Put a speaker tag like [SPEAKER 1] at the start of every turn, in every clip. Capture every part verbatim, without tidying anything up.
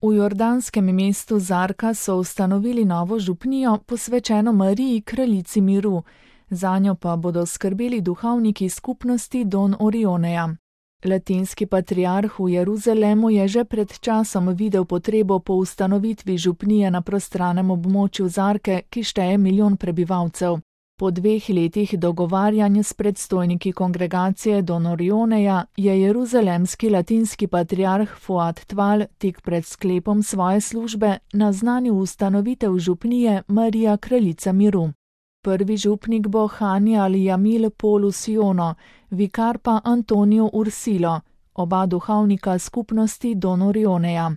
[SPEAKER 1] V jordanskem mestu Zarka so ustanovili novo župnijo, posvečeno Mariji, kraljici miru. Zanjo pa bodo skrbeli duhovniki skupnosti Don Orioneja. Latinski patriarh v Jeruzalemu je že pred časom videl potrebo po ustanovitvi župnije na prostranem območju Zarke, ki šteje milijon prebivalcev. Po dveh letih dogovarjanj s predstojniki kongregacije Don Orioneja je jeruzalemski latinski patriarh Fuad Tval tik pred sklepom svoje službe naznanil ustanovitev župnije Marija, kraljica miru. Prvi župnik bo Hani al-Jamil Polus Jono, vikar pa Antonio Ursilo, oba duhovnika skupnosti Don Orioneja.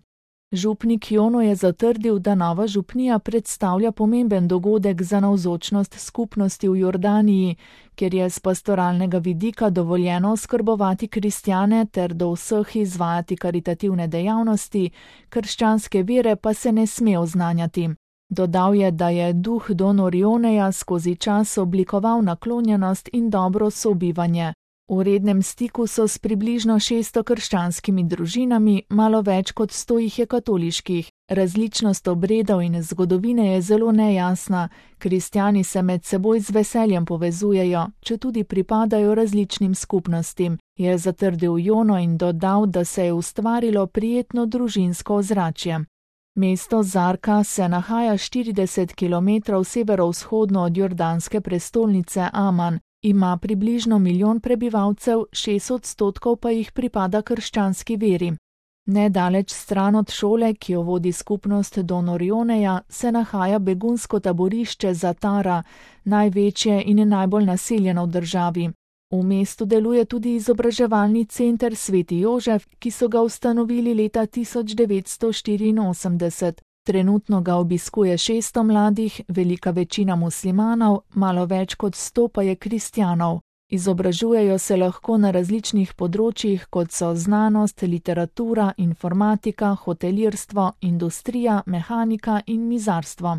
[SPEAKER 1] Župnik Jono je zatrdil, da nova župnija predstavlja pomemben dogodek za navzočnost skupnosti v Jordaniji, kjer je z pastoralnega vidika dovoljeno oskrbovati kristjane ter do vseh izvajati karitativne dejavnosti, krščanske vere pa se ne sme oznanjati. Dodal je, da je duh Don Orioneja skozi čas oblikoval naklonjenost in dobro sobivanje. V rednem stiku so s približno šeststo krščanskimi družinami, malo več kot sto jih je katoliških. Različnost obredov in zgodovine je zelo nejasna, kristjani se med seboj z veseljem povezujejo, četudi pripadajo različnim skupnostim, je zatrdil Jono in dodal, da se je ustvarilo prijetno družinsko ozračje. Mesto Zarka se nahaja štirideset kilometrov severovzhodno od jordanske prestolnice Aman, ima približno milijon prebivalcev, šest odstotkov pa jih pripada krščanski veri. Nedaleč stran od šole, ki jo vodi skupnost Don Orioneja, se nahaja begunsko taborišče Zatara, največje in najbolj naseljeno v državi. V mestu deluje tudi izobraževalni center Sveti Jožef, ki so ga ustanovili leta tisoč devetsto štiriinosemdeset. Trenutno ga obiskuje šeststo mladih, velika večina muslimanov, malo več kot sto pa je kristjanov. Izobražujejo se lahko na različnih področjih, kot so znanost, literatura, informatika, hotelirstvo, industrija, mehanika in mizarstvo.